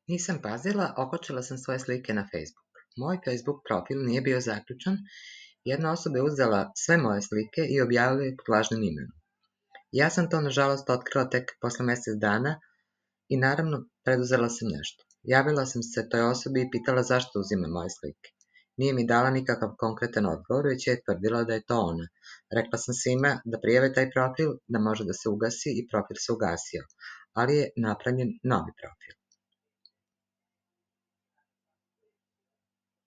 Nisam pazila, okačila sam svoje slike na Facebook. Moj Facebook profil nije bio zaključan, jedna osoba je uzela sve moje slike i objavila je pod lažnim imenom. Ja sam to, nažalost, otkrila tek posle mjesec dana i naravno preduzela sam nešto. Javila sam se toj osobi i pitala zašto uzima moje slike. Nije mi dala nikakav konkretan odgovor, već je tvrdila da je to ona. Rekla sam svima da prijave taj profil, da može da se ugasi i profil se ugasio, ali je napravljen novi profil.